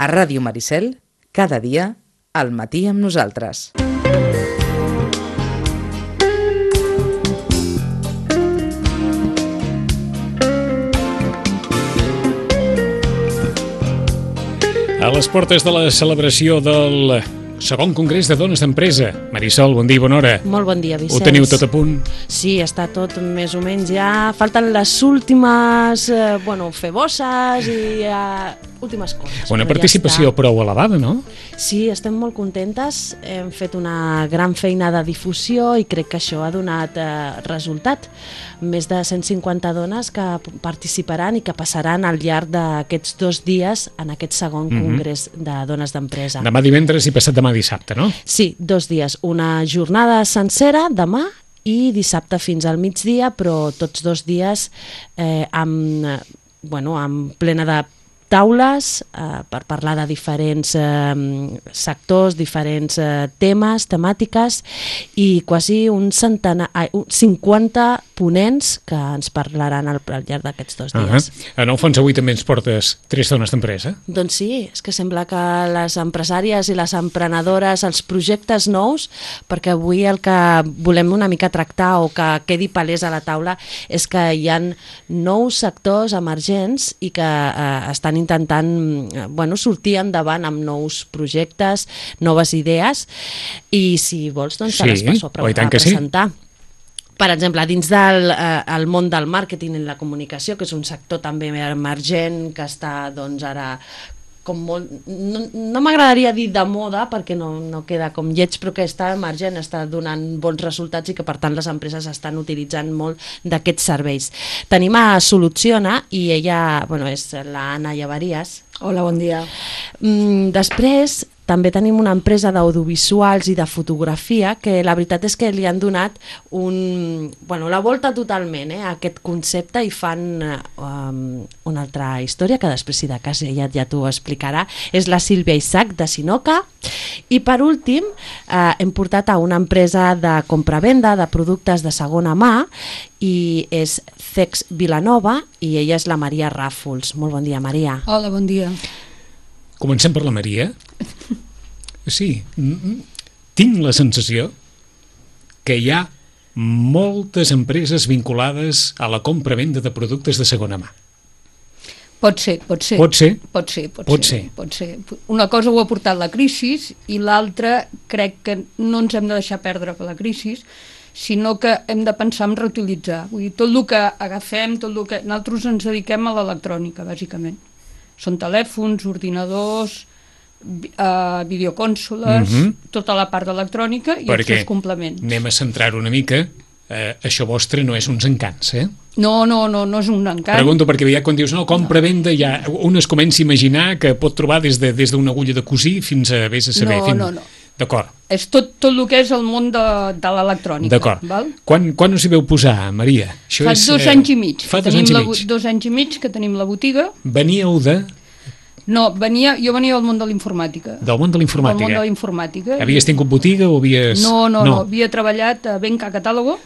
A Ràdio Maricel, cada dia, al matí amb nosaltres. A les portes de la celebració del segon Congrés de Dones d'Empresa. Marisol, bon dia i bona hora. Molt bon dia, Vicenç. Ho teniu tot a punt? Sí, està tot més o menys ja. Falten les últimes, febosses i últimes coses. Una participació prou elevada, no? Sí, estem molt contentes. Hem fet una gran feina de difusió i crec que això ha donat resultat. Més de 150 dones que participaran i que passaran al llarg d'aquests 2 dies en aquest segon Congrés de Dones d'Empresa. Demà divendres i passat demà dissabte, no? Sí, 2 dies. Una jornada sencera demà i dissabte fins al migdia, però tots 2 dies amb plena de taules per parlar de diferents sectors, diferents temes, temàtiques, i quasi 50 ponents que ens parlaran al llarg d'aquests 2 dies. En el fons avui també ens portes 3 dones d'empresa? Doncs sí, és que sembla que les empresàries i les emprenedores, els projectes nous, perquè avui el que volem una mica tractar o que quedi palès a la taula és que hi ha nous sectors emergents i que estan intentant sortir endavant amb nous projectes, noves idees, i si vols doncs te les passo a presentar. Per exemple, dins del món del màrqueting i la comunicació, que és un sector també emergent, que està doncs ara com molt, no m'agradaria dir de moda perquè no queda com lleig, però que està emergent, està donant bons resultats i que per tant les empreses estan utilitzant molt d'aquests serveis. Tenim a Soluciona i ella és la Anna Llaveries. Hola, bon dia. Després també tenim una empresa d'audiovisuals i de fotografia que la veritat és que li han donat la volta totalment a aquest concepte i fan una altra història que després, si de cas, ja t'ho explicarà. És la Sílvia Isaac de Sinoca. I per últim hem portat a una empresa de compravenda de productes de segona mà i és Cex Vilanova i ella és la Maria Ràfols. Molt bon dia, Maria. Hola, bon dia. Comencem per la Maria. Sí, tinc la sensació que hi ha moltes empreses vinculades a la compra-venda de productes de segona mà. Pot ser. Una cosa ho ha portat la crisi i l'altra crec que no ens hem de deixar perdre per la crisi, sinó que hem de pensar en reutilitzar. Vull dir, tot el que agafem, nosaltres ens dediquem a l'electrònica, bàsicament. Són telèfons, ordinadors, videocònsoles, tota la part d'electrònica i els seus complements. Perquè anem a centrar una mica, això vostre no és uns encants, eh? No és un encant. Pregunto perquè ja quan dius compra-venda, ja un es comença a imaginar que pot trobar des d'una agulla de cosir fins a vés a saber. No. D'acord. És tot el que és el món de l'electrònica. D'acord. Quan us hi veu posar, Maria? Fa 2 anys i mig. Fa 2 anys i mig que tenim la botiga. Veníeu de... No, jo venia del món de l'informàtica. Del món de l'informàtica? Havies tingut botiga o havies... No, havia treballat a Benca Catàlogo,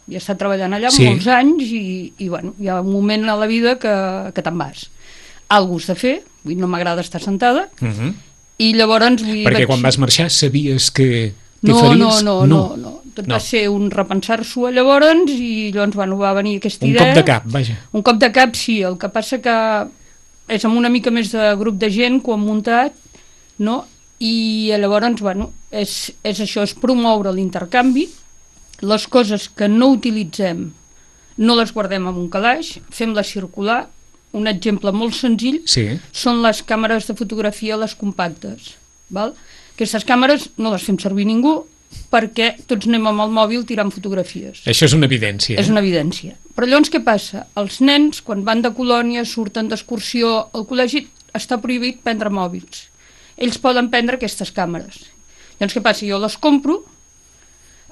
havia estat treballant allà molts anys i hi ha un moment a la vida que te'n vas. Algú has de fer, no m'agrada estar sentada, i llavors... Perquè quan vas marxar sabies que t'hi faries? No. Tot va ser un repensar-s'ho llavors i llavors va venir aquesta idea. Un cop de cap, vaja. Un cop de cap, sí. El que passa que és amb una mica més de grup de gent que ho han muntat, no? I llavors, és això, és promoure l'intercanvi, les coses que no utilitzem no les guardem en un calaix, fem-les circular. Un exemple molt senzill són les càmeres de fotografia, les compactes. Aquestes càmeres no les fem servir ningú perquè tots anem amb el mòbil tirant fotografies. Això és una evidència. És una evidència. Però llavors què passa? Els nens, quan van de colònia, surten d'excursió, al col·legi està prohibit prendre mòbils. Ells poden prendre aquestes càmeres. Llavors què passa? Jo les compro,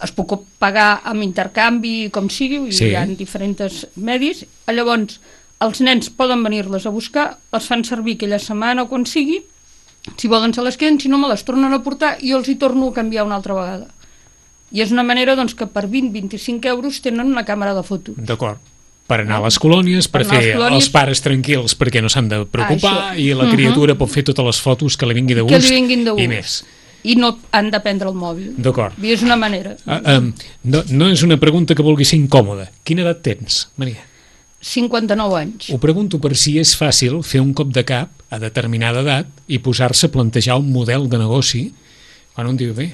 es puc pagar amb intercanvi, com sigui, hi ha diferents medis, llavors els nens poden venir-les a buscar, les fan servir aquella setmana o quan sigui, si volen se les queden, si no me les tornen a portar i jo els hi torno a canviar una altra vegada. I és una manera que per 20-25 euros tenen una càmera de fotos. D'acord. per anar a les colònies, per anar a les fer colònies. els pares tranquils perquè no s'han de preocupar, Això. i la criatura pot fer totes les fotos que li vingui de Que gust, li vinguin de gust. i més. I no han de prendre el mòbil. D'acord. I és una manera. No és una pregunta que vulgui ser incòmoda. Quina edat tens, Maria? 59 anys. Ho pregunto per si és fàcil fer un cop de cap a determinada edat i posar-se a plantejar un model de negoci quan un diu, bé,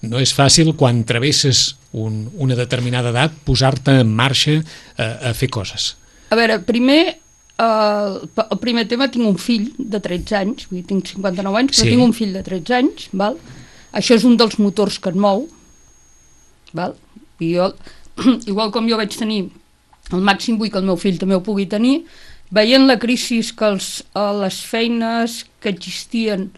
no és fàcil quan travesses una determinada edat posar-te en marxa a fer coses. A veure, primer, el primer tema, tinc un fill de 13 anys, vull dir, tinc 59 anys, però Sí. tinc un fill de 13 anys, val? Això és un dels motors que et mou, val? I jo, igual com jo vaig tenir el màxim, vull que el meu fill també ho pugui tenir, veient la crisi que les feines que existien,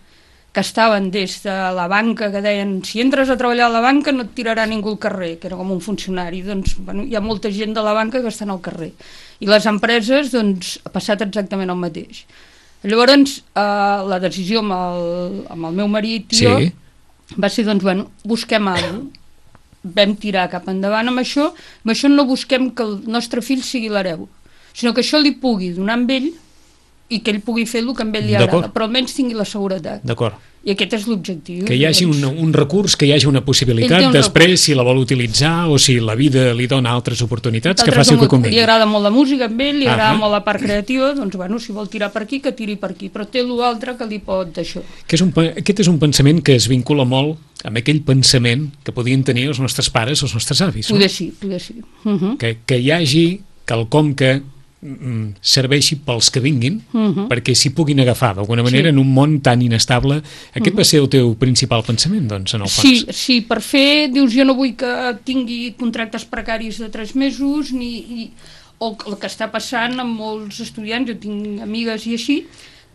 que estaven des de la banca, que deien, si entres a treballar a la banca no et tirarà ningú al carrer, que era com un funcionari, doncs bueno, hi ha molta gent de la banca que estan al carrer. I les empreses, doncs, ha passat exactament el mateix. Llavors, la decisió amb el meu marit i jo va ser, doncs, bueno, busquem alguna cosa. Vam tirar cap endavant amb això no busquem que el nostre fill sigui l'hereu, sinó que això li pugui donar amb ell i que ell pugui fer el que a ell li agrada, però almenys tingui la seguretat. D'acord. I aquest és l'objectiu. Que hi hagi un recurs, que hi hagi una Ell possibilitat, té un després, si la vol utilitzar o si la vida li dona altres oportunitats, que faci el que convingui. Li agrada molt la música amb ell, li agrada molt la part creativa, doncs bueno, si vol tirar per aquí, que tiri per aquí, però té l'altre que li pot d'això. Aquest és un pensament que es vincula molt amb aquell pensament que podien tenir els nostres pares o els nostres avis. Poder sí, poder sí. Que hi hagi quelcom que serveixi pels que vinguin, perquè s'hi puguin agafar d'alguna manera en un món tan inestable. Aquest va ser el teu principal pensament, doncs, en el fons? Sí, per fer, dius, jo no vull que tingui contractes precaris de 3 mesos, o el que està passant amb molts estudiants, jo tinc amigues i així,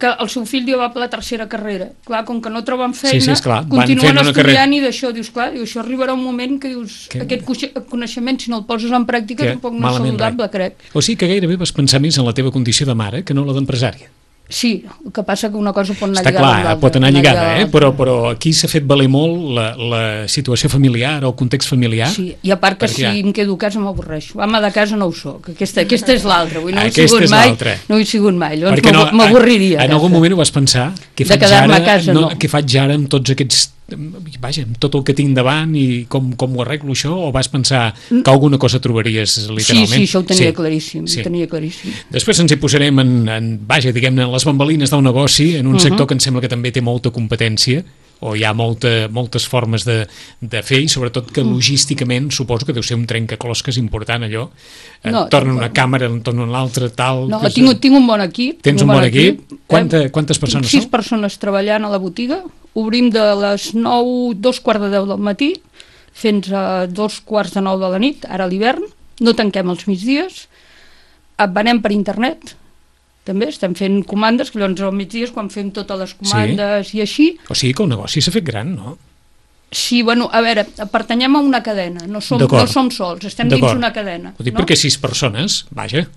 que el seu fill ja va per la tercera carrera. Clar, com que no troben feina, continuen estudiant i d'això, dius, clar, això arribarà un moment que dius, aquest coneixement, si no el poses en pràctica, tampoc no és saludable, crec. O sigui que gairebé vas pensar més en la teva condició de mare que no la d'empresària. Sí, el que passa que una cosa pot anar lligada amb l'altra. Està clar, pot anar lligada, però aquí s'ha fet valer molt la situació familiar o el context familiar. Sí, i a part que si em quedo a casa m'avorreixo. Ama de casa no ho soc, aquesta és l'altra. No ho he sigut mai, llavors m'avorriria. En algun moment ho vas pensar? De quedar-me a casa, no. Què faig ara amb tots aquests... Vaja, amb tot el que tinc davant i com ho arreglo això, o vas pensar que alguna cosa trobaries literalment? Sí, això ho tenia claríssim, ho tenia claríssim. Després ens hi posarem diguem-ne, en les bambalines del negoci, en un sector que em sembla que també té molta competència, o hi ha moltes formes de fer, i sobretot que logísticament suposo que deu ser un trencaclosques important allò, tornen una càmera, en tornen l'altra, tal... No, tinc un bon equip. Tens un bon equip? Quantes persones són? 6 persones treballant a la botiga, obrim de les 9, 2:15 del matí, fins a 2:45 de la nit, ara a l'hivern, no tanquem els migdies, venem per internet, també estem fent comandes, que llavors al migdia quan fem totes les comandes i així. O sigui que el negoci s'ha fet gran, no? Sí, bueno, a veure, pertanyem a una cadena, no som sols, estem dins una cadena. Ho dic perquè 6 persones, vaja.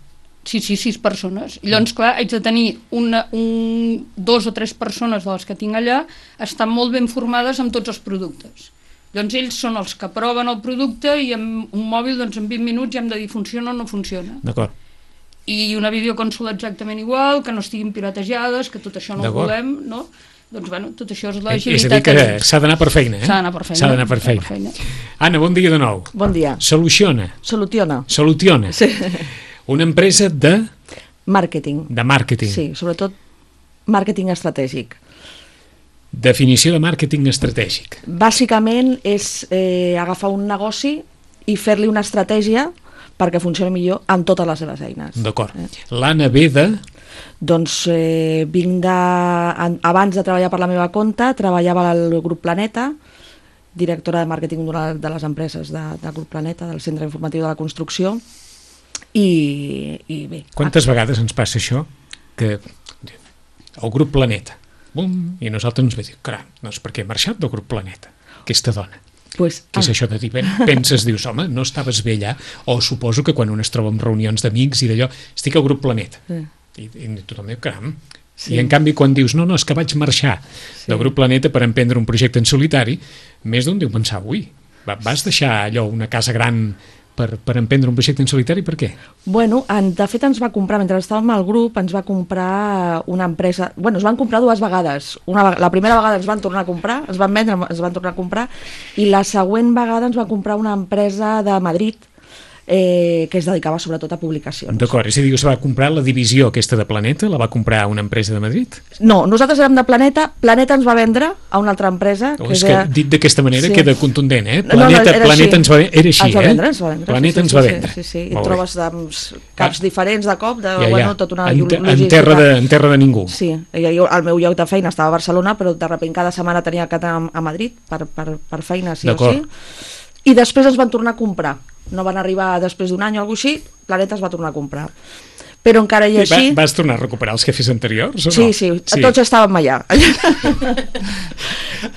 Sí, 6 persones. I llavors, clar, haig de tenir 2 o 3 persones de les que tinc allà, estan molt ben formades amb tots els productes. Llavors ells són els que proven el producte i amb un mòbil, doncs en 20 minuts ja hem de dir funciona o no funciona. D'acord. I una videoconsola exactament igual, que no estiguin piratejades, que tot això no ho volem, no? Doncs, bueno, tot això és l'agilitat. És a dir, que s'ha d'anar per feina, S'ha d'anar per feina. Anna, bon dia de nou. Bon dia. Soluciona. Soluciona. Sí. Una empresa de... Màrqueting. De màrqueting. Sí, sobretot màrqueting estratègic. Definició de màrqueting estratègic. Bàsicament és agafar un negoci i fer-li una estratègia perquè funcioni millor en totes les seves eines. D'acord. L'Anna ve de... Doncs vinc de... Abans de treballar per la meva compte, treballava al Grup Planeta, directora de màrqueting d'una de les empreses del Grup Planeta, del Centre Informatiu de la Construcció, i bé... Quantes vegades ens passa això? Que el Grup Planeta, bum, i nosaltres ens ve dir, caram, doncs per què he marxat del Grup Planeta, aquesta dona? Què és això de dir? Penses, dius, home, no estaves bé allà? O suposo que quan un es troba en reunions d'amics i d'allò, estic al Grup Planeta. I tothom diu, caram. I en canvi quan dius, no, és que vaig marxar del Grup Planeta per emprendre un projecte en solitari, més d'un diu pensar, ui, vas deixar allò, una casa gran per emprendre un projecte en solitari, per què? Bueno, de fet ens va comprar, mentre estàvem al grup, ens va comprar una empresa... Bueno, es van comprar dues vegades. La primera vegada ens van tornar a comprar, ens van vendre, ens van tornar a comprar, i la següent vegada ens va comprar una empresa de Madrid que es dedicava sobretot a publicacions. D'acord, és a dir, es va comprar la divisió aquesta de Planeta, la va comprar una empresa de Madrid? No, nosaltres érem de Planeta, Planeta ens va vendre a una altra empresa... És que dit d'aquesta manera queda contundent, eh? Planeta ens va vendre, era així, ens va vendre, ens va vendre. Planeta ens va vendre. Sí. I trobes caps diferents de cop, tota una logística. En terra de ningú. Sí, el meu lloc de feina estava a Barcelona, però de sobte cada setmana tenia que anar a Madrid per feina, sí o sí. I després ens van tornar a comprar. No van arribar després d'un any o alguna cosa així, Planeta es va tornar a comprar. Però encara i així... Vas tornar a recuperar els jefes anteriors o no? Sí, tots estàvem allà.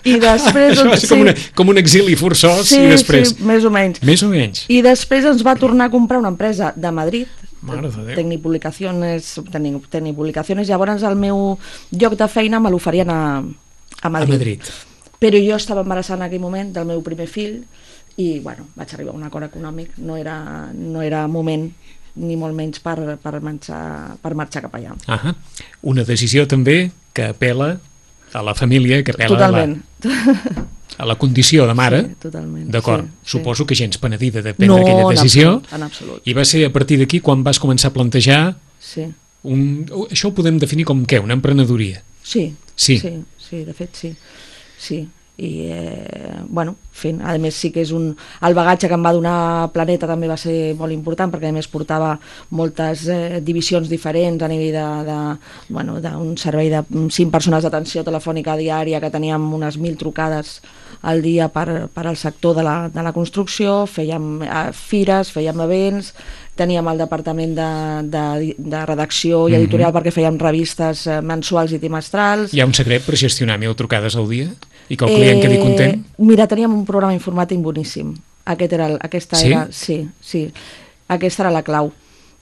I després... Això va ser com un exili forçós i després... Sí, més o menys. Més o menys. I després ens va tornar a comprar una empresa de Madrid, Tecnipublicaciones, llavors el meu lloc de feina me l'oferien a Madrid. Però jo estava embarassada en aquell moment del meu primer fill i bueno, vaig arribar a un acord econòmic, no era moment ni molt menys per marxar cap allà. Una decisió també que apela a la família, que apela a la condició de mare. Sí, totalment. D'acord, suposo que gens penedida de prendre aquella decisió. En absolut. I va ser a partir d'aquí quan vas començar a plantejar això ho podem definir com què? Una emprenedoria? Sí, de fet sí. I bueno, a més sí que és el bagatge que em va donar Planeta també va ser molt important perquè a més portava moltes divisions diferents a nivell d'un servei de 5 persones d'atenció telefònica diària que teníem unes 1.000 trucades al dia per al sector de la construcció, fèiem fires, fèiem events, teníem el departament de redacció i editorial perquè fèiem revistes mensuals i trimestrals. Hi ha un secret per gestionar 1.000 trucades al dia? I que el client quedi content? Mira, teníem un programa informàtic boníssim. Aquesta era la clau.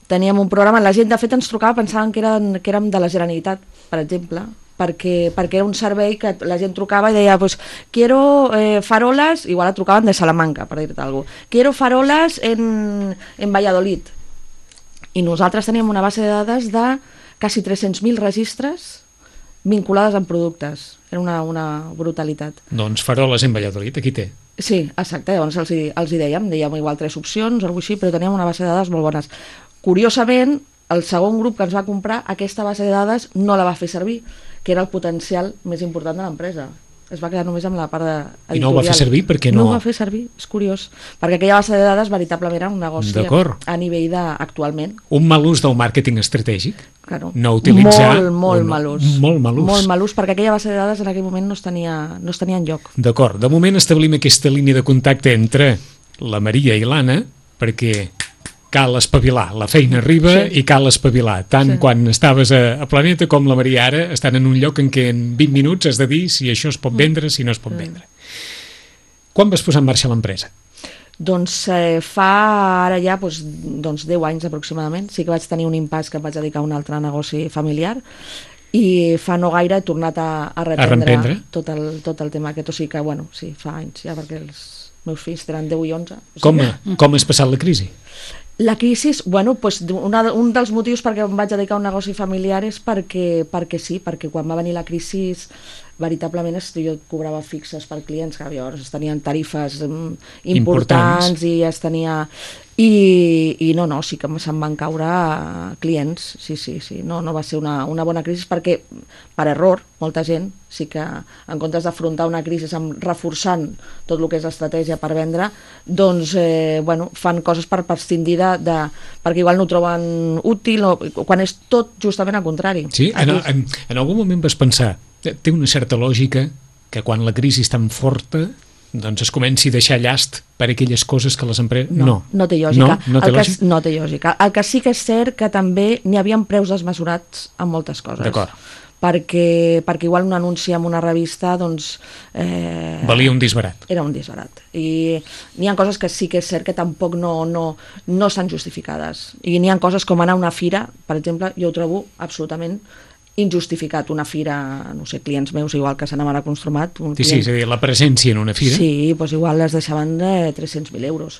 Teníem un programa, la gent de fet ens trucava, pensaven que érem de la Generalitat, per exemple, perquè era un servei que la gent trucava i deia, pues, quiero farolas, igual trucaven de Salamanca, per dir-te alguna cosa, quiero farolas en Valladolid. I nosaltres teníem una base de dades de quasi 300.000 registres vinculades amb productes. Era una brutalitat. Doncs faroles en Valladolid, aquí té. Sí, exacte, llavors els hi dèiem igual 3 opcions o alguna cosa així, però teníem una base de dades molt bones. Curiosament, el segon grup que ens va comprar, aquesta base de dades no la va fer servir, que era el potencial més important de l'empresa. Es va quedar només amb la part editorial. I no ho va fer servir perquè no... No ho va fer servir, és curiós, perquè aquella base de dades veritablement era un negoci a nivell actualment. Un mal ús del màrqueting estratègic? Claro. No utilitzar... Molt mal ús. Molt mal ús. Molt mal ús, perquè aquella base de dades en aquell moment no es tenia enlloc. D'acord, de moment establim aquesta línia de contacte entre la Maria i l'Anna, perquè cal espavilar, la feina arriba i cal espavilar, tant quan estaves a Planeta com la Maria ara estan en un lloc en què en 20 minuts has de dir si això es pot vendre, si no es pot vendre. Quan vas posar en marxa l'empresa? Doncs fa ara ja 10 anys aproximadament, sí que vaig tenir un impàs que em vaig dedicar a un altre negoci familiar i fa no gaire he tornat a reprendre tot el tema aquest, o sigui que sí, fa anys ja perquè els meus fills tenen 10 i 11. Com has passat la crisi? La crisi, un dels motius perquè em vaig dedicar a un negoci familiar és perquè sí, perquè quan va venir la crisi veritablement jo cobrava fixes per clients que llavors es tenien tarifes importants i es tenia... I no, sí que se'n van caure clients, sí. No va ser una bona crisi perquè, per error, molta gent sí que en comptes d'afrontar una crisi reforçant tot el que és estratègia per vendre, doncs, fan coses per prescindir perquè igual no ho troben útil, quan és tot justament al contrari. Sí, en algun moment vas pensar, té una certa lògica que quan la crisi és tan forta doncs es comenci a deixar llast per aquelles coses que les empreses... No té lògica. No té lògica. El que sí que és cert que també n'hi havia preus desmesurats en moltes coses. D'acord. Perquè igual un anunci en una revista doncs... valia un disbarat. Era un disbarat. I n'hi ha coses que sí que és cert que tampoc no estan justificades. I n'hi ha coses com anar a una fira, per exemple, jo ho trobo absolutament injustificat, una fira, no sé, clients meus igual que s'anaven a Construmat. Sí, és a dir, la presència en una fira. Sí, doncs igual les deixaven de 300.000 euros.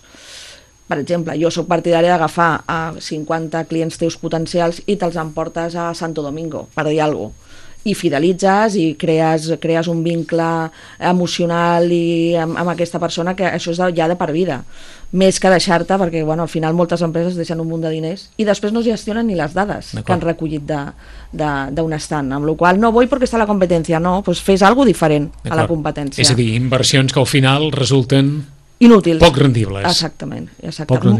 Per exemple, jo sóc partidària d'agafar a 50 clients teus potencials i te'ls emportes a Santo Domingo, per dir alguna cosa. I fidelitzes i crees un vincle emocional i amb aquesta persona, que això és ja de per vida, més que deixar-te, perquè al final moltes empreses deixen un munt de diners i després no gestionen ni les dades que han recollit d'un estant, amb la qual cosa no vull perquè està la competència, no, doncs fes alguna diferent a la competència. És a dir, inversions que al final resulten inútils. Poc rendibles. Exactament.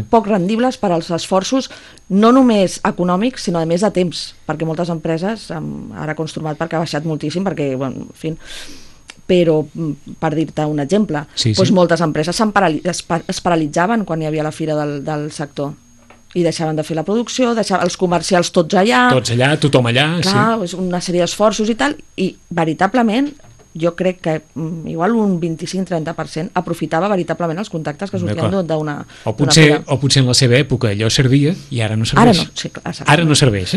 Poc rendibles per als esforços, no només econòmics, sinó a més de temps, perquè moltes empreses, ara Construmat perquè ha baixat moltíssim, perquè, en fi, però per dir-te un exemple, doncs moltes empreses es paralitzaven quan hi havia la fira del sector i deixaven de fer la producció, deixaven els comercials tots allà, tothom allà. Clar, és una sèrie d'esforços i tal, i veritablement jo crec que igual un 25-30% aprofitava veritablement els contactes que sortien d'una fira. O potser en la seva època allò servia i ara no serveix. Ara no serveix,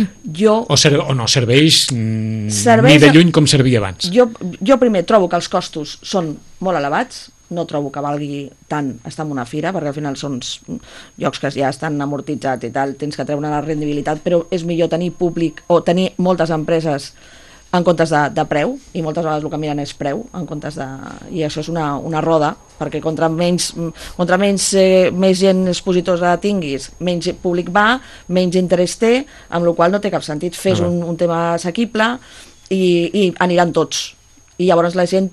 o no serveix ni de lluny com servia abans. Jo primer trobo que els costos són molt elevats, no trobo que valgui tant estar en una fira, perquè al final són llocs que ja estan amortitzats i tal, tens que treure la rendibilitat, però és millor tenir públic o tenir moltes empreses en comptes de preu, i moltes vegades el que miren és preu, en comptes de... I això és una roda, perquè contra més gent expositosa tinguis, menys públic va, menys interès té, amb la qual cosa no té cap sentit. Fes un tema assequible i aniran tots. I llavors la gent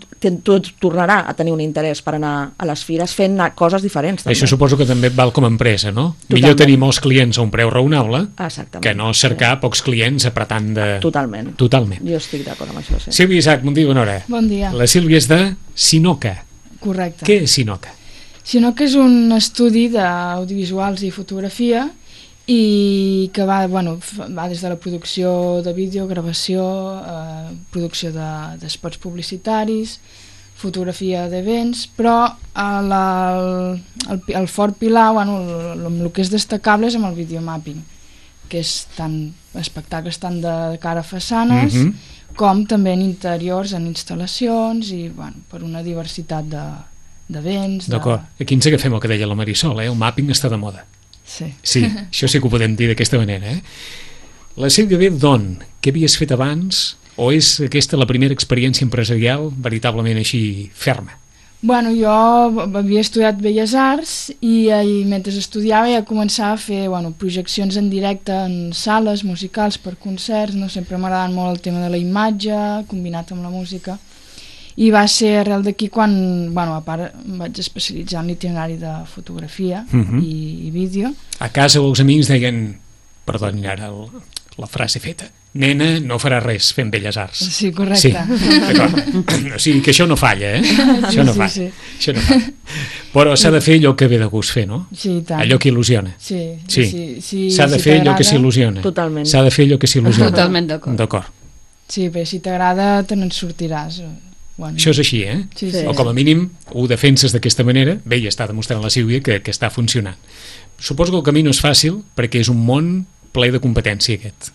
tornarà a tenir un interès per anar a les fires fent coses diferents. També. Això suposo que també val com a empresa, no? Totalment. Millor tenir molts clients a un preu raonable que no cercar pocs clients apretant de... Totalment. Jo estic d'acord amb això, sí. Sílvia Isaac, bon dia, bona hora. Bon dia. La Sílvia és de Sinoca. Correcte. Què és Sinoca? Sinoca és un estudi d'audiovisuals i fotografia i que va des de la producció de vídeo, gravació, producció d'espots publicitaris, fotografia d'events, però el fort pilar, el que és destacable és amb el videomapping, que és tant espectacles tant de cara a façanes com també en interiors, en instal·lacions i per una diversitat d'events. D'acord, aquí ens agafem el que deia la Marisol, el mapping està de moda. Sí, això sí que ho podem dir d'aquesta manera. La Sílvia ve d'on? Què havies fet abans? O és aquesta la primera experiència empresarial veritablement així ferma? Jo havia estudiat Belles Arts i mentre estudiava ja començava a fer projeccions en directe en sales musicals per concerts, sempre m'ha agradat molt el tema de la imatge combinat amb la música. I va ser arrel d'aquí quan, a part, em vaig especialitzar en l'itinerari de fotografia i vídeo. A casa els amics deien, perdoni ara la frase feta, nena no farà res fent Belles Arts. Sí, correcte. Sí, d'acord. O sigui que això no falla, Això no falla. Això no falla. Però s'ha de fer allò que ve de gust fer, no? Sí, tant. Allò que il·lusiona. Sí. S'ha de fer allò que s'il·lusiona. Totalment. S'ha de fer allò que s'il·lusiona. Totalment d'acord. Sí, però si t'agrada te n'en sortiràs. Això és així, Sí. O com a mínim ho defenses d'aquesta manera, bé, ja està demostrant la Sílvia que està funcionant. Suposo que el camí no és fàcil perquè és un món ple de competència aquest.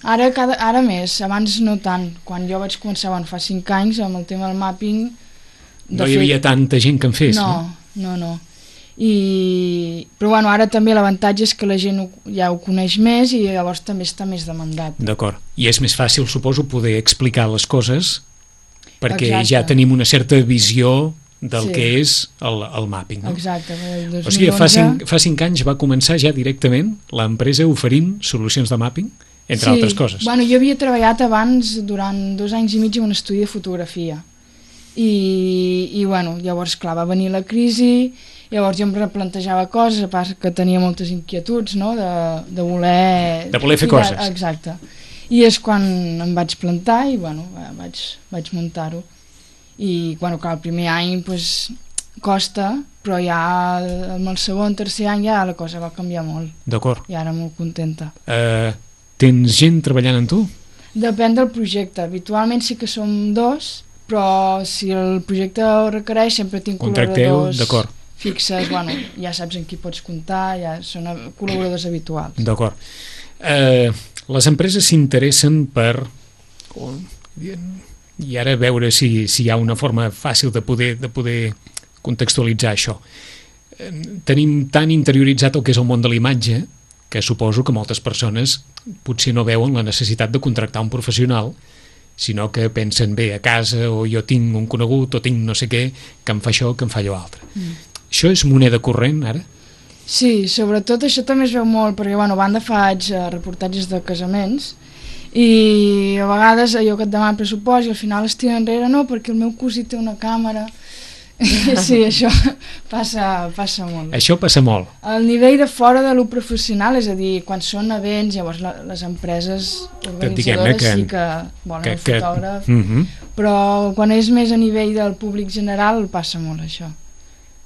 Ara més, abans no tant. Quan jo vaig començar fa 5 anys amb el tema del mapping... No hi havia tanta gent que en fes, no? No. Però ara també l'avantatge és que la gent ja ho coneix més i llavors també està més demandat. D'acord. I és més fàcil, suposo, poder explicar les coses perquè Exacte. ja tenim una certa visió del que és el mapping. No? Exacte. O sigui, fa 5 anys va començar ja directament l'empresa oferint solucions de mapping, entre altres coses. Jo havia treballat abans durant 2 anys i mig en un estudi de fotografia i llavors clar, va venir la crisi, llavors jo em replantejava coses, a part que tenia moltes inquietuds, no? de voler fer coses. Exacte. I és quan em vaig plantar i vaig muntar-ho. I clar, el primer any costa, però ja amb el segon, tercer any ja la cosa va canviar molt. D'acord. I ara molt contenta. Tens gent treballant amb tu? Depèn del projecte. Habitualment sí que som 2, però si el projecte ho requereix sempre tinc col·laboradors fixes, ja saps en qui pots comptar, ja són col·laboradors habituals. D'acord. Les empreses s'interessen per... I ara veure si hi ha una forma fàcil de poder contextualitzar això. tenim tan interioritzat el que és el món de la imatge que suposo que moltes persones potser no veuen la necessitat de contractar un professional, sinó que pensen bé a casa, o jo tinc un conegut o tinc no sé què, que em fa això, que em fa allò altre. Això és moneda corrent ara? Sí, sobretot això també es veu molt, perquè bueno, a banda faig reportatges de casaments i a vegades allò que et demana pressupost i al final es tira enrere, no, perquè el meu cosí té una càmera. Sí, això passa molt. Això passa molt. El nivell de fora de lo professional, és a dir, quan són events, llavors les empreses organitzadores sí que volen el fotògraf, però quan és més a nivell del públic general passa molt això.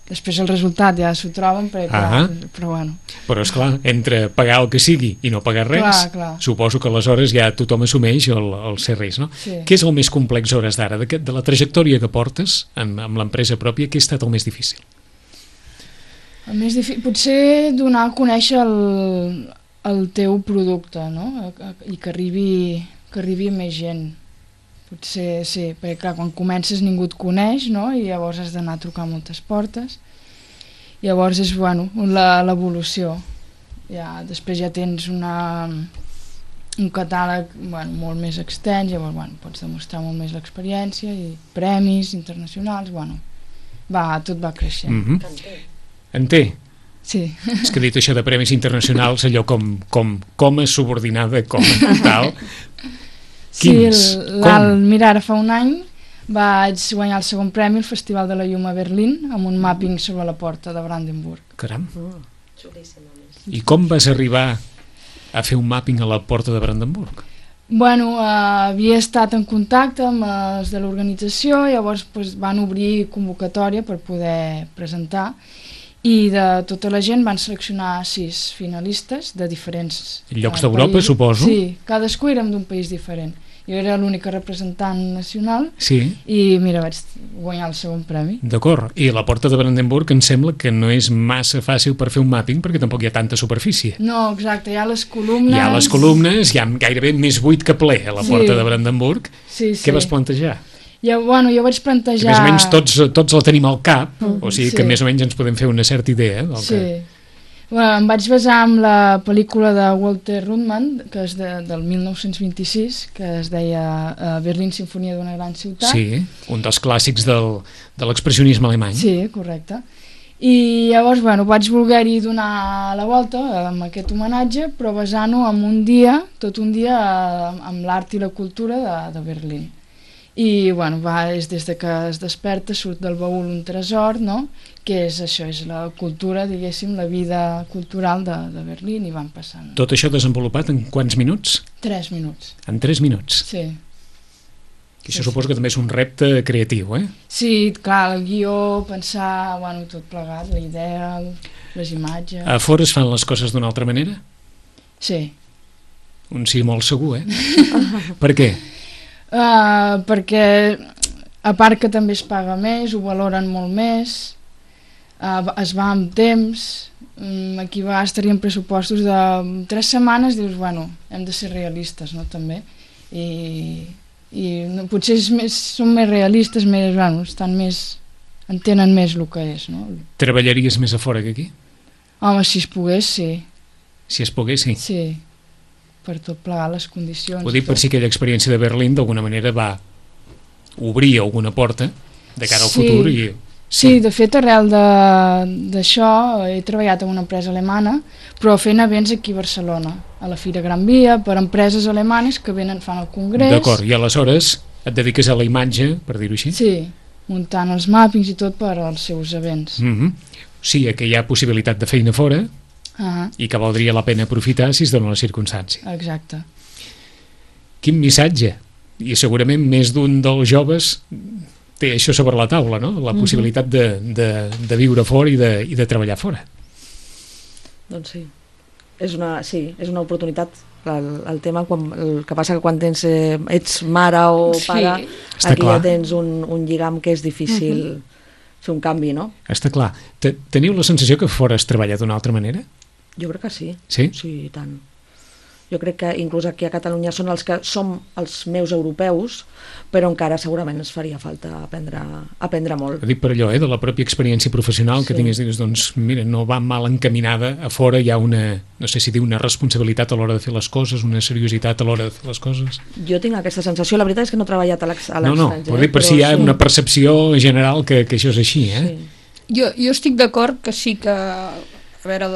Després el resultat ja s'ho troben, però bueno. Però esclar, entre pagar el que sigui i no pagar res, clar. Suposo que aleshores ja tothom assumeix el ser res, no? Sí. Què és el més complex a hores d'ara? De la trajectòria que portes amb l'empresa pròpia, què ha estat el més difícil? El més difícil, potser donar a conèixer el teu producte, no? I que arribi a més gent. Potser sí, perquè clar, quan comences ningú et coneix, no? I llavors has d'anar a trucar a moltes portes. Llavors és, bueno, l'evolució. Ja, després ja tens un catàleg molt més extens, llavors pots demostrar molt més l'experiència i premis internacionals, tot va creixent. En té? Sí. És que dit això de premis internacionals, allò com és subordinada, com tal... Quins? Mira, ara fa un any vaig guanyar el segon premi al Festival de la Llum a Berlín amb un mapping sobre la porta de Brandenburg. Caram! I com vas arribar a fer un mapping a la porta de Brandenburg? Havia estat en contacte amb els de l'organització, llavors van obrir convocatòria per poder presentar i de tota la gent van seleccionar 6 finalistes de diferents llocs d'Europa, suposo? Sí, cadascú érem d'un país diferent. Jo era l'única representant nacional i mira, vaig guanyar el segon premi. D'acord, i la porta de Brandenburg em sembla que no és massa fàcil per fer un mapping perquè tampoc hi ha tanta superfície. No, exacte, hi ha les columnes... Hi ha gairebé més buit que ple a la porta de Brandenburg. Sí. Què vas plantejar? Jo vaig plantejar... Que més o menys tots la tenim al cap, o sigui que més o menys ens podem fer una certa idea del que... Em vaig basar en la pel·lícula de Walter Ruttmann, que és del 1926, que es deia Berlín, Sinfonia d'una gran ciutat. Sí, un dels clàssics de l'expressionisme alemany. Sí, correcte. I llavors, vaig voler-hi donar la volta amb aquest homenatge, però basant-ho en tot un dia amb l'art i la cultura de Berlín. I és des que es desperta, surt del baúl un tresor, no? Que és això, és la cultura, diguéssim, la vida cultural de Berlín, i van passant. Tot això desenvolupat en quants minuts? 3 minuts. En 3 minuts? Sí. I això suposo que també és un repte creatiu, eh? Sí, clar, el guió, pensar, tot plegat, la idea, les imatges... A fora es fan les coses d'una altra manera? Sí. Un sí molt segur, Per què? Perquè a part que també es paga més, ho valoren molt més, es va amb temps, aquí a vegades tenien pressupostos de 3 setmanes, dius, hem de ser realistes, no, també, i potser són més realistes, entenen més el que és, no? Treballaries més a fora que aquí? Home, si es pogués, sí. Si es pogués, sí? Sí, per tot plegar les condicions. Ho dic per si aquella experiència de Berlín d'alguna manera va obrir alguna porta de cara al futur i... Sí, de fet, arrel d'això he treballat en una empresa alemana, però fent events aquí a Barcelona, a la Fira Gran Via, per empreses alemanes que fan el congrés. D'acord, i aleshores et dediques a la imatge, per dir-ho així? Sí, muntant els màpings i tot per als seus events. Sí, que hi ha possibilitat de feina fora i que valdria la pena aprofitar si es dona la circumstància. Exacte. Quin missatge? I segurament més d'un dels joves té això sobre la taula, no? La possibilitat de viure fora i de treballar fora. Doncs sí. És una oportunitat. El tema, el que passa que quan ets mare o pare, aquí ja tens un lligam que és difícil fer un canvi, no? Està clar. Teniu la sensació que fora es treballa d'una altra manera? Jo crec que sí. Sí? Sí, i tant. Jo crec que inclús aquí a Catalunya són els que som els meus europeus, però encara segurament ens faria falta aprendre molt. Dic per allò, de la pròpia experiència professional que tingués, doncs mira, no va mal encaminada, a fora hi ha una, no sé si dir, una responsabilitat a l'hora de fer les coses, una seriositat a l'hora de fer les coses. Jo tinc aquesta sensació, la veritat és que no he treballat a l'estranger. No, però dir per si hi ha una percepció general que això és així, eh? Sí. Jo estic d'acord que sí que... A veure,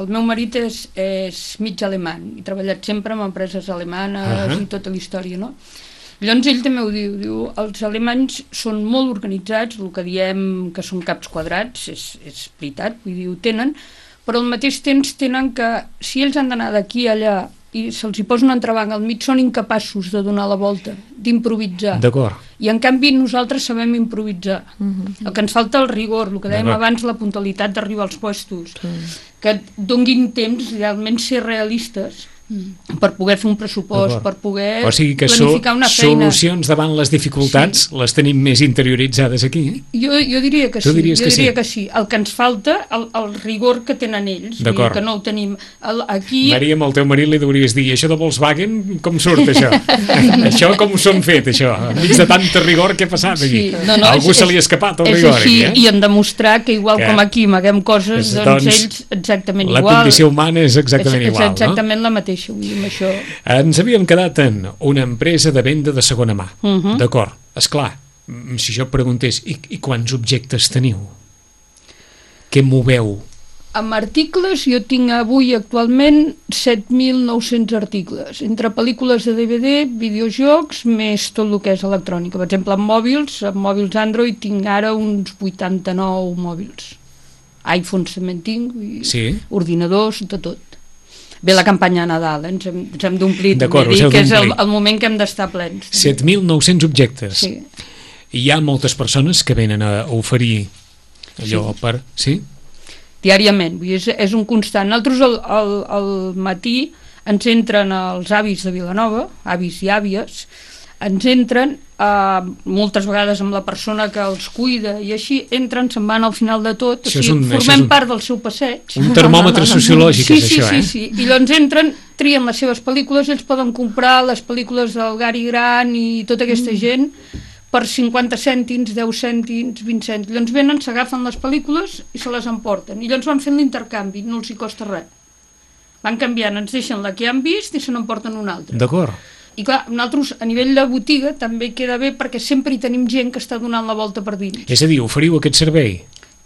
el meu marit és mig alemany, i ha treballat sempre en empreses alemanes i tota la història, no? Llavors ell també ho diu, els alemanys són molt organitzats, el que diem que són caps quadrats, és veritat, vull dir, ho tenen, però al mateix temps tenen que, si ells han d'anar d'aquí a allà i se'ls hi posa un entrebanc al mig, són incapaços de donar la volta, d'improvisar. D'acord. I en canvi nosaltres sabem improvisar. El que ens falta el rigor, el que dèiem abans, la puntualitat d'arribar als puestos, que et donguin temps realment ser realistes per poder fer un pressupost, per poder planificar una feina. Solucions davant les dificultats les tenim més interioritzades aquí, eh? Jo diria que sí, que sí. El que ens falta, el rigor que tenen ells, que no ho tenim. Aquí... Maria, amb el teu marit li hauries dir, això de Volkswagen, com surt això? Això com ho són fet, això? Enmig de tanta rigor, què ha passat aquí? Algú se li ha escapat el rigor aquí, eh? I en demostrar que igual com aquí amaguem coses, doncs ells exactament igual. La condició humana és exactament igual, no? És exactament la mateixa. Això. Ens havíem quedat en una empresa de venda de segona mà. D'acord, esclar, si jo preguntés, i quants objectes teniu? Què moveu? Amb articles jo tinc avui actualment 7.900 articles, entre pel·lícules de DVD, videojocs, més tot el que és electrònica. Per exemple, amb mòbils Android tinc ara uns 89 mòbils. iPhones també en tinc, ordinadors, de tot. Ve la campanya de Nadal, ens hem d'omplir, que és el moment que hem d'estar plens. 7.900 objectes. Sí. I hi ha moltes persones que venen a oferir allò per... Sí? Diàriament, és un constant. Nosaltres al matí ens entren els avis de Vilanova, avis i àvies, ens entren moltes vegades amb la persona que els cuida i així entren, se'n van al final de tot, o sigui, formem part del seu passeig. Un termòmetre sociològic és això, eh? Sí. I llavors entren, trien les seves pel·lícules, ells poden comprar les pel·lícules del Gary Grant i tota aquesta gent per 50 cèntims, 10 cèntims, 20 cèntims. Llavors venen, s'agafen les pel·lícules i se les emporten. I llavors van fent l'intercanvi, no els hi costa res. Van canviant, ens deixen la que han vist i se n'emporten una altra. D'acord. I clar, nosaltres a nivell de botiga també queda bé perquè sempre hi tenim gent que està donant la volta per dins. És a dir, oferiu aquest servei?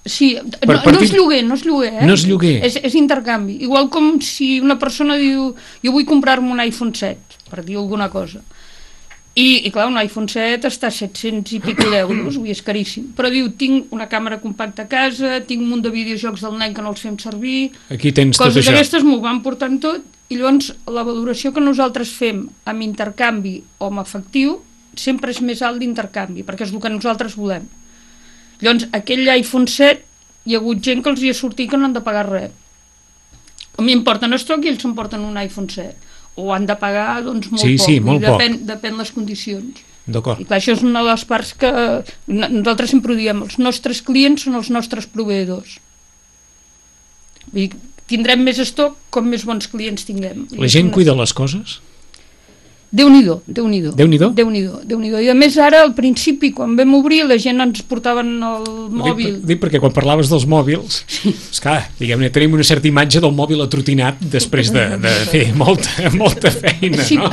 Sí, no és lloguer, eh? No és lloguer. És intercanvi. Igual com si una persona diu jo vull comprar-me un iPhone 7, per dir alguna cosa. I clar, un iPhone 7 està a 700 i pico d'euros, és caríssim. Però diu, tinc una càmera compacta a casa, tinc un munt de videojocs del nen que no els fem servir... Aquí tens tot això. Coses d'aquestes m'ho van portant tot, i llavors la valoració que nosaltres fem amb intercanvi o amb efectiu sempre és més alt d'intercanvi, perquè és el que nosaltres volem. Llavors, aquell iPhone 7, hi ha hagut gent que els hi ha sortit que no han de pagar res. A mi em porten estoc i ells s'emporten un iPhone 7. O han de pagar, doncs, molt poc. Sí, molt poc. Depèn les condicions. D'acord. I clar, això és una de les parts que nosaltres sempre ho diem, els nostres clients són els nostres proveïdors. Vull dir, tindrem més estoc com més bons clients tinguem. La gent cuida les coses? Déu-n'hi-do. I a més ara, al principi, quan vam obrir, la gent ens portaven el mòbil. Dic perquè quan parlaves dels mòbils, esclar, diguem-ne, tenim una certa imatge del mòbil atrotinat després de fer molta feina, no?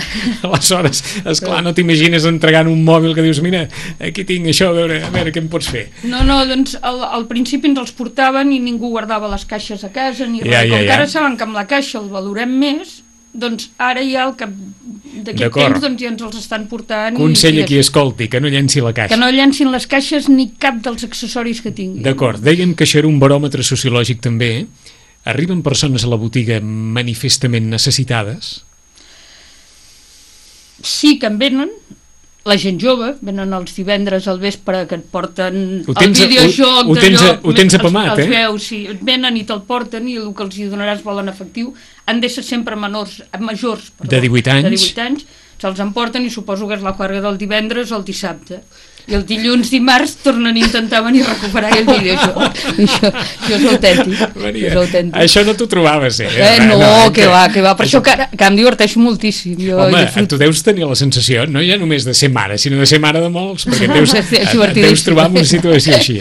Aleshores, esclar, no t'imagines entregant un mòbil que dius, mira, aquí tinc això, a veure què em pots fer. No, doncs al principi ens els portaven i ningú guardava les caixes a casa ni res. Com que ara saben que amb la caixa el valorem més, doncs ara ja al cap d'aquest temps doncs ja ens els estan portant. Consell a qui escolti, que no llenci la caixa. Que no llencin les caixes ni cap dels accessoris que tinguin. D'acord, dèiem que això era un baròmetre sociològic també. Arriben persones a la botiga manifestament necessitades? Sí que en venen. La gent jove, venen els divendres al vespre que et porten el videojoc ho tens apamat, els veus, sí, et venen i te'l porten i el que els hi donaràs vol en efectiu. Han de ser sempre majors, de 18 anys, se'ls emporten i suposo que és la juerga del divendres o el dissabte. I el dilluns, dimarts, tornen a intentar venir a recuperar aquell vídeo. Això és autèntic. Maria, És autèntic. això no t'ho trobaves, No, que va. Per això que ara em diverteixo moltíssim. Home, tu deus tenir la sensació, no ja només de ser mare, sinó de ser mare de molts, perquè et deus trobar en una situació així,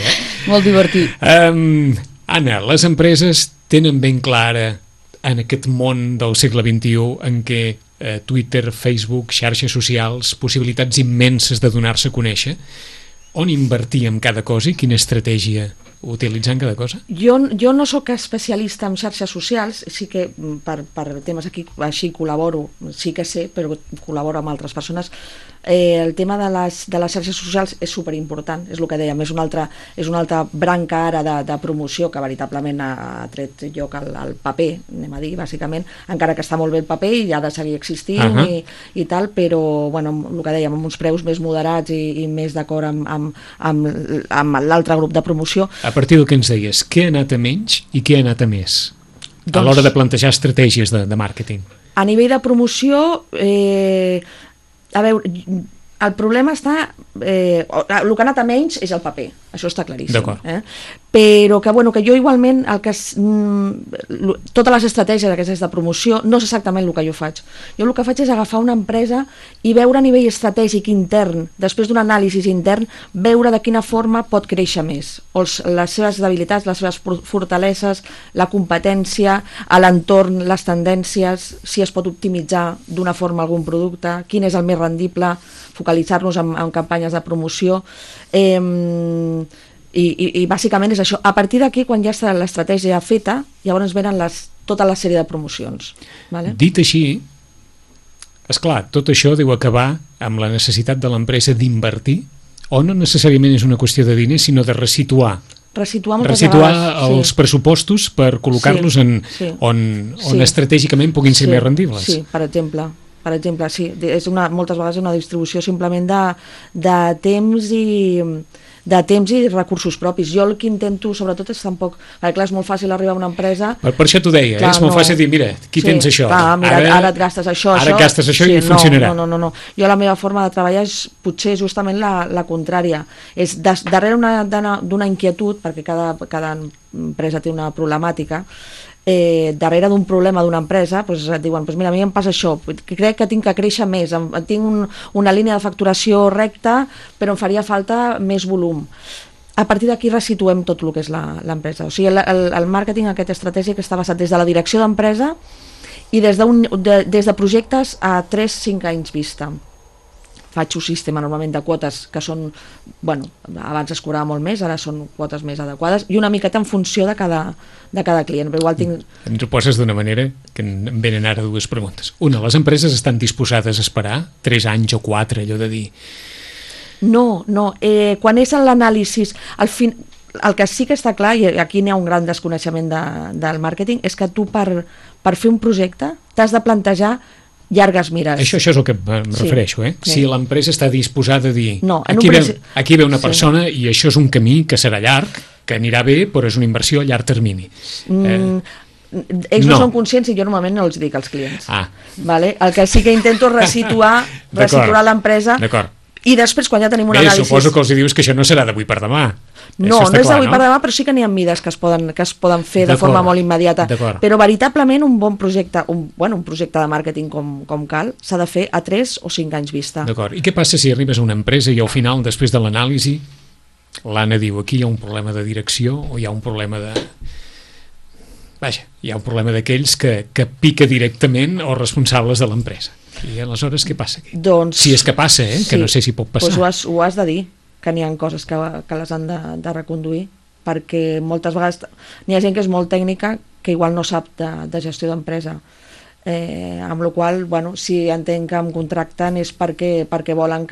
Molt divertit. Anna, les empreses tenen ben clara en aquest món del segle XXI en què Twitter, Facebook, xarxes socials, possibilitats immenses de donar-se a conèixer, on invertir en cada cosa i quina estratègia utilitzar en cada cosa? Jo no sóc especialista en xarxes socials, sí que per temes aquí així col·laboro, sí que sé, però col·laboro amb altres persones. El tema de les xarxes socials és superimportant, és el que dèiem, és una altra branca ara de promoció que veritablement ha tret lloc al paper, anem a dir, bàsicament, encara que està molt bé el paper i ha de seguir existint i tal, però, bueno, el que dèiem, amb uns preus més moderats i més d'acord amb l'altre grup de promoció. A partir del que ens deies, què ha anat a menys i què ha anat a més a l'hora de plantejar estratègies de màrqueting? A nivell de promoció, a veure, el problema està... el que ha anat a menys és el paper, això està claríssim. Però que jo igualment totes les estratègies aquestes de promoció no és exactament el que jo faig. Jo el que faig és agafar una empresa i veure a nivell estratègic intern, després d'un anàlisi intern, veure de quina forma pot créixer més, les seves debilitats, les seves fortaleses, la competència, l'entorn, les tendències, si es pot optimitzar d'una forma algun producte, quin és el més rendible, focalitzar-nos en campanyes de promoció, i bàsicament és això. A partir d'aquí, quan ja està l'estratègia feta, llavors venen tota la sèrie de promocions. Dit així, esclar, tot això deu acabar amb la necessitat de l'empresa d'invertir, o no necessàriament és una qüestió de diners, sinó de resituar els pressupostos per col·locar-los on estratègicament puguin ser més rendibles. Sí, per exemple, sí. Moltes vegades és una distribució simplement de temps i recursos propis. Jo el que intento, sobretot, és tampoc... Perquè, clar, és molt fàcil arribar a una empresa... Per això t'ho deia, és molt fàcil dir, mira, aquí tens això. Ara et gastes això, i funcionarà. No. Jo la meva forma de treballar és potser justament la contrària. És darrere d'una inquietud, perquè cada empresa té una problemàtica, darrere d'un problema d'una empresa et diuen, mira, a mi em passa això, crec que tinc que créixer més, tinc una línia de facturació recta però em faria falta més volum. A partir d'aquí resituem tot el que és l'empresa. O sigui, el màrqueting, aquesta estratègia que està basat des de la direcció d'empresa i des de projectes a 3-5 anys vista. Faig un sistema normalment de quotes que són, abans es cobrava molt més, ara són quotes més adequades i una miqueta en funció de cada client. Però igual Ens ho poses d'una manera que em venen ara dues preguntes. Una, les empreses estan disposades a esperar 3 anys o 4, allò de dir... No. Quan és en l'anàlisi, el que sí que està clar, i aquí n'hi ha un gran desconeixement del màrqueting, és que tu per fer un projecte t'has de plantejar llargues mires. Això és el que em refereixo, Si l'empresa està disposada a dir aquí ve una persona i això és un camí que serà llarg, que anirà bé, però és una inversió a llarg termini. Ells no són conscients i jo normalment no els dic als clients. El que sí que intento és resituar l'empresa i després quan ja tenim un anàlisi... Suposo que els dius que això no serà d'avui per demà. No és d'avui per demà, però sí que n'hi ha mides que es poden fer de forma molt immediata. Però veritablement un bon projecte, un projecte de màrqueting com cal, s'ha de fer a 3 o 5 anys vista. D'acord. I què passa si arribes a una empresa i al final, després de l'anàlisi, l'Anna diu, aquí hi ha un problema de direcció o hi ha un problema de... hi ha un problema d'aquells que pica directament els responsables de l'empresa. I aleshores què passa aquí? Si és que passa, que no sé si pot passar. Doncs ho has de dir, que n'hi ha coses que les han de reconduir, perquè moltes vegades n'hi ha gent que és molt tècnica que igual no sap de gestió d'empresa, amb la qual cosa, si entenc que em contracten és perquè volen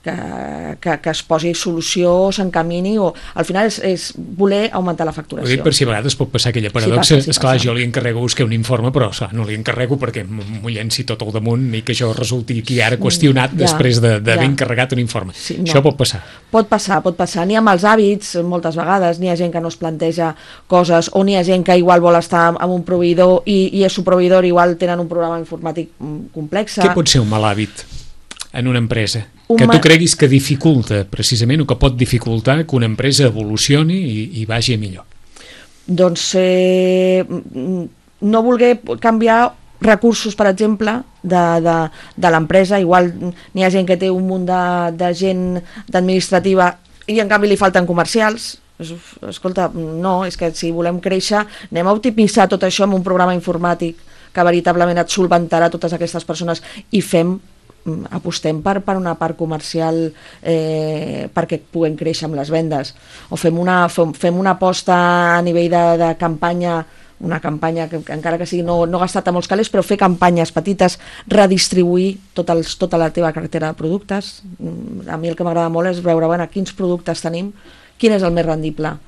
que es posi solució o s'encamini, o al final és voler augmentar la facturació. Ho dic per si a vegades pot passar aquella paradoxa. Esclar, jo li encarrego buscar un informe, però no li encarrego perquè m'ho llenci tot al damunt i que això resulti aquí ara qüestionat després d'haver encarregat un informe. Això pot passar. Pot passar. N'hi ha mals hàbits, moltes vegades, n'hi ha gent que no es planteja coses, o n'hi ha gent que igual vol estar amb un proveïdor i el seu proveïdor igual tenen un programa informàtic complex. Què pot ser un mal hàbit en una empresa? Que tu creguis que dificulta, precisament, o que pot dificultar que una empresa evolucioni i vagi a millor. Doncs no voler canviar recursos, per exemple, de l'empresa. Igual n'hi ha gent que té un munt de gent d'administrativa i en canvi li falten comercials. Escolta, no, és que si volem créixer anem a optimitzar tot això amb un programa informàtic que veritablement et solventarà totes aquestes persones i apostem per una part comercial perquè puguem créixer amb les vendes, o fem una aposta a nivell de campanya, una campanya que encara que sigui no gastar-te molts calés, però fer campanyes petites, redistribuir tota la teva cartera de productes. A mi el que m'agrada molt és veure quins productes tenim, quin és el més rendible.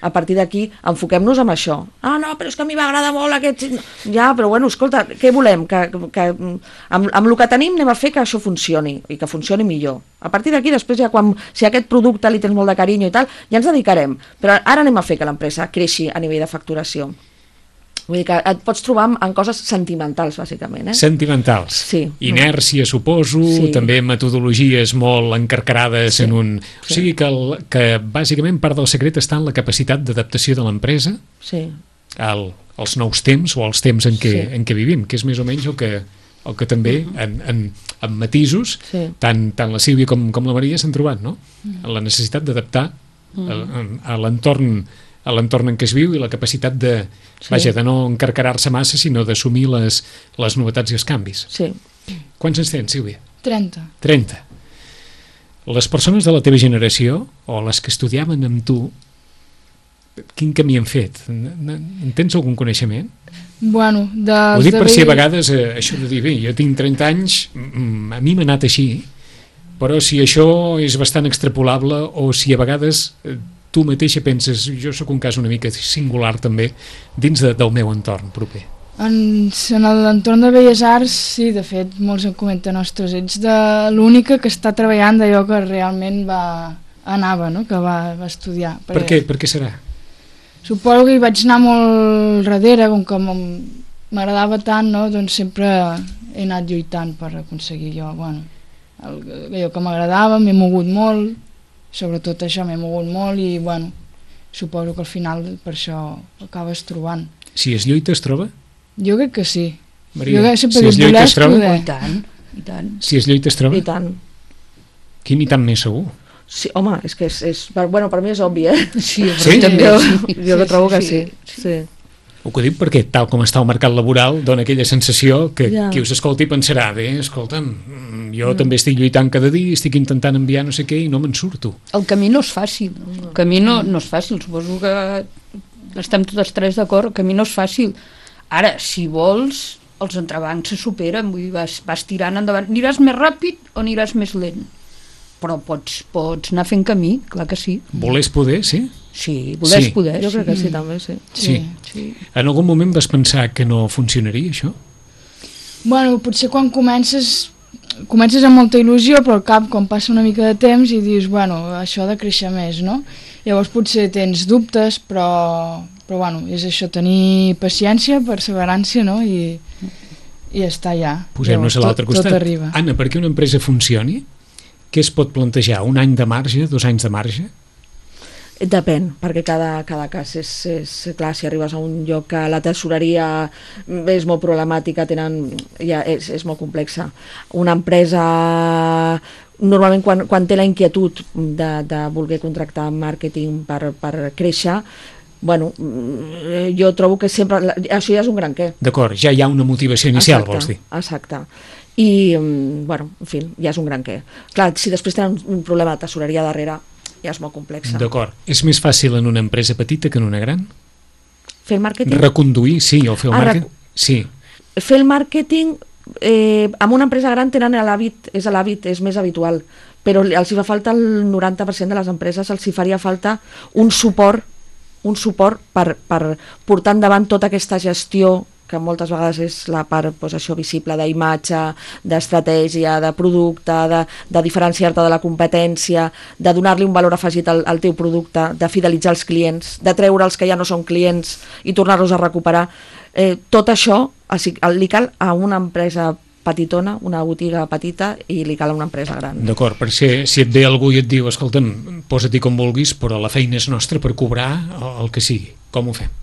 A partir d'aquí, enfoquem-nos en això. Ah, no, però és que a mi m'agrada molt aquest... Ja, però bueno, escolta, què volem? Que amb el que tenim anem a fer que això funcioni, i que funcioni millor. A partir d'aquí, després, si a aquest producte li tens molt de carinyo i tal, ja ens dedicarem. Però ara anem a fer que l'empresa creixi a nivell de facturació. Vull dir que et pots trobar en coses sentimentals, bàsicament. Sentimentals. Sí. Inèrcia, suposo, sí. També metodologies molt encarcarades en un... O sigui que bàsicament part del secret està en la capacitat d'adaptació de l'empresa als nous temps o als temps en què vivim, que és més o menys el que també en matisos tant la Sílvia com la Maria s'han trobat, no? La necessitat d'adaptar a l'entorn en què es viu i la capacitat de no encarcarar-se massa, sinó d'assumir les novetats i els canvis. Sí. Quants anys tens, Sílvia? 30. Les persones de la teva generació, o les que estudiaven amb tu, quin camí han fet? En tens algun coneixement? Bueno, ho dic per si a vegades això de dir, bé, jo tinc 30 anys, a mi m'ha anat així, però si això és bastant extrapolable o si a vegades tu mateixa penses, jo sóc un cas una mica singular també, dins del meu entorn proper. En l'entorn de Belles Arts, sí, de fet, molts em comenten, ostres, ets de l'única que està treballant d'allò que realment anava, no? Que va estudiar. Per què serà? Suposo que hi vaig anar molt darrere, com que m'agradava tant, no? Doncs sempre he anat lluitant per aconseguir allò que m'agradava, m'he mogut molt, sobretot això m'he mogut molt i suposo que al final per això acabes trobant. Si es lluita es troba? Jo crec que sí. Maria, si es lluita es troba? I tant. Si es lluita es troba? I tant. Quin i tant més segur? Sí, home, és que per mi és obvi, Sí, també. Jo que trobo que sí. Ho que dic perquè tal com està el mercat laboral dona aquella sensació que qui us escolti pensarà, bé, escolta'm, jo també estic lluitant cada dia, estic intentant enviar no sé què i no me'n surto. El camí no és fàcil, el camí no és fàcil, suposo que estem totes tres d'acord, el camí no és fàcil. Ara, si vols, els entrebancs se superen, vull dir, vas tirant endavant, aniràs més ràpid o aniràs més lent, però pots anar fent camí, clar que sí. Volés poder, sí? Sí, poder. Jo crec que sí, també, sí. Sí. En algun moment vas pensar que no funcionaria, això? Bueno, potser quan comences amb molta il·lusió, però al cap, quan passa una mica de temps i dius, això ha de créixer més, no? Llavors potser tens dubtes, però és això, tenir paciència, perseverància, no? I estar allà. Posem-nos a l'altre costat. Tot arriba. Anna, perquè una empresa funcioni, què es pot plantejar? Un any de marge, 2 anys de marge? Depèn, perquè cada cas és clar, si arribes a un lloc que la tesoreria és molt problemàtica, és molt complexa. Una empresa normalment quan té la inquietud de voler contractar màrqueting per créixer, jo trobo que sempre això ja és un gran què. D'acord, ja hi ha una motivació inicial, vols dir? Exacte. I, en fi, ja és un gran què. Clar, si després tenen un problema de tesoreria darrere, ja és molt complexa. D'acord. És més fàcil en una empresa petita que en una gran? Fer el màrqueting? Reconduir, sí, o fer el màrqueting? Sí. Fer el màrqueting amb una empresa gran tenen l'hàbit, és més habitual, però els hi fa falta el 90% de les empreses, els hi faria falta un suport per portar endavant tota aquesta gestió que moltes vegades és la part visible d'imatge, d'estratègia, de producte, de diferenciar-te de la competència, de donar-li un valor afegit al teu producte, de fidelitzar els clients, de treure els que ja no són clients i tornar-los a recuperar. Tot això li cal a una empresa petitona, una botiga petita, i li cal una empresa gran. D'acord, perquè si et ve algú i et diu escolta'm, posa-t'hi com vulguis, però la feina és nostra per cobrar el que sigui. Com ho fem?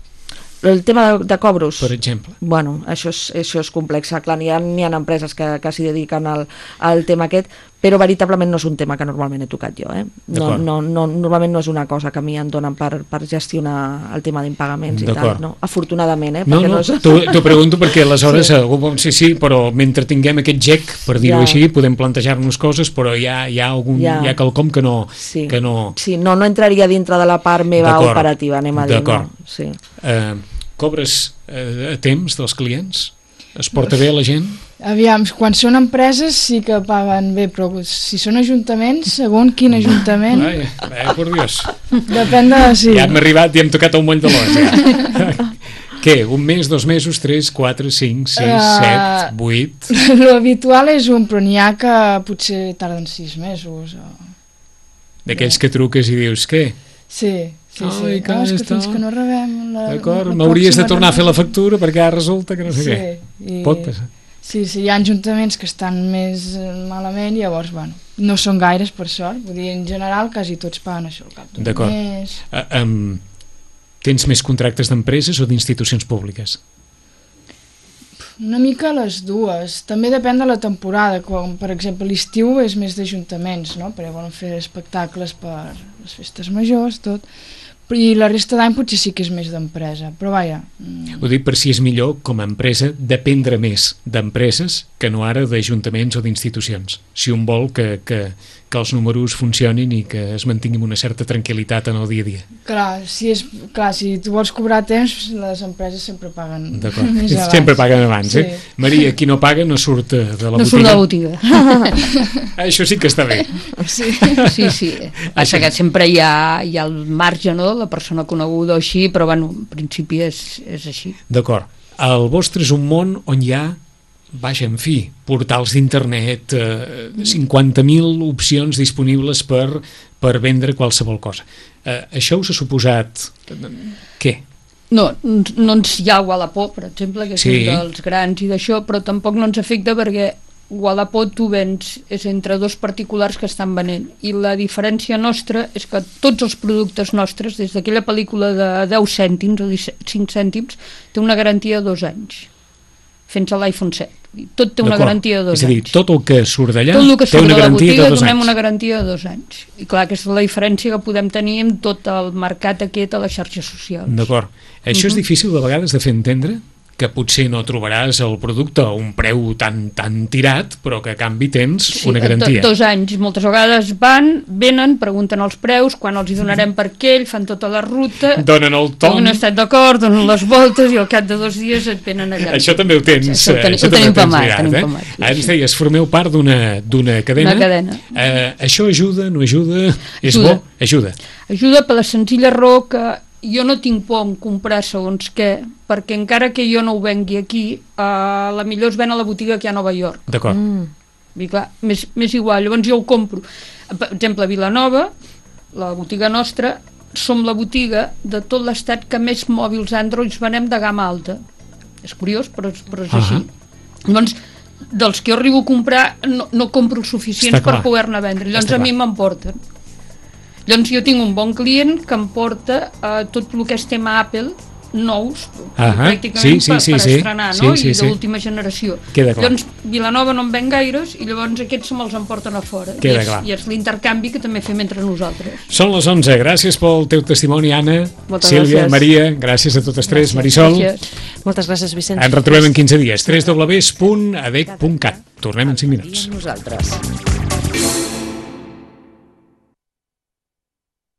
El tema de cobros, Per exemple. bueno, això és complex. Clar, n'hi ha empreses que s'hi dediquen al tema aquest, però veritablement no és un tema que normalment he tocat jo. Normalment no és una cosa que a mi em donen per gestionar el tema d'impagaments i tal, no? Afortunadament, No, t'ho pregunto perquè aleshores algú sí, però mentre tinguem aquest gec, per dir-ho així, podem plantejar-nos coses, però hi ha quelcom que no... Sí, no entraria dintre de la part meva operativa, anem a dir. D'acord. Sí. Cobres a temps dels clients? Es porta bé la gent? Aviam, quan són empreses sí que paguen bé, però si són ajuntaments, segons quin ajuntament... Per Dios. Depèn de... Sí. Ja hem arribat i hem tocat el moll de l'os. Què? Un mes, 2 mesos, 3, 4, 5, 6, 7, 8... L'habitual és un, però n'hi ha que potser tarden 6 mesos. D'aquells que truques i dius, què? Sí. És que fins que no rebem... D'acord, m'hauries de tornar a fer la factura perquè ara resulta que no sé què. Pot passar. Sí, hi ha ajuntaments que estan més malament, llavors, bueno, no són gaires, per sort. Vull dir, en general, quasi tots paguen això al cap d'un mes. Tens més contractes d'empreses o d'institucions públiques? Una mica les dues. També depèn de la temporada. Com, per exemple, l'estiu és més d'ajuntaments, no? Perquè volen fer espectacles per les festes majors, tot. I la resta d'any potser sí que és més d'empresa, però vaja... Ho dic per si és millor, com a empresa, dependre més d'empreses que no ara d'ajuntaments o d'institucions. Si un vol que els números funcionin i que es mantingui una certa tranquil·litat en el dia a dia. Clar, si tu vols cobrar temps, les empreses sempre paguen més abans. Sempre paguen abans, sí. Maria, qui no paga no surt de la botiga. No surt de la botiga. Això sí que està bé. Sí. Passa que sempre hi ha el marge, no?, la persona coneguda o així, però bueno, en principi és així. D'acord. El vostre és un món on hi ha, vaja, en fi, portals d'internet, 50.000 opcions disponibles per vendre qualsevol cosa. Això us ha suposat... Què? No ens hi ha Wallapop, per exemple, que és un dels grans i d'això, però tampoc no ens afecta perquè Wallapop tu vens és entre dos particulars que estan venent i la diferència nostra és que tots els productes nostres, des d'aquella pel·lícula de 10 cèntims o 5 cèntims, té una garantia de 2 anys fins a l'iPhone 7. Tot té una garantia de 2 anys. És a dir, tot el que surt d'allà té una garantia de 2 anys. Tot el que surt de la botiga donem una anys. garantia de 2 anys. I clar, aquesta és la diferència que podem tenir amb tot el mercat aquest a les xarxes socials. D'acord. Això és difícil de vegades de fer entendre? Que potser no trobaràs el producte a un preu tan tirat, però que a canvi tens una garantia. 2 anys. Moltes vegades venen, pregunten els preus, quan els hi donarem per aquell, fan tota la ruta, donen el tom, han estat d'acord, donen les voltes i al cap de 2 dies et venen allà. Això també ho tens. Això ho tenim pamat. Ara ens deies, formeu part d'una cadena. Una cadena. Això ajuda, no ajuda? És bo? Ajuda. Ajuda per la senzilla raó que jo no tinc por en comprar segons què, perquè encara que jo no ho vengui aquí, la millor es ven a la botiga que hi ha a Nova York. D'acord. I clar, m'és igual, llavors jo ho compro. Per exemple, a Vilanova, la botiga nostra, som la botiga de tot l'estat que més mòbils Android venem de gamma alta. És curiós, però és així. Llavors, dels que jo arribo a comprar, no compro els suficients per poder-ne vendre. Llavors a mi m'emporten. Llavors jo tinc un bon client que em porta tot el que és tema Apple nous, pràcticament per estrenar, no? I de l'última generació. Llavors Vilanova no en ven gaires i llavors aquests me'ls emporten a fora. I és l'intercanvi que també fem entre nosaltres. Són les 11, gràcies pel teu testimoni, Anna, Sílvia, Maria, gràcies a totes tres, Marisol. Moltes gràcies, Vicenç. Ens retrobem en 15 dies, www.adec.cat. Tornem en 5 minuts. Nosaltres.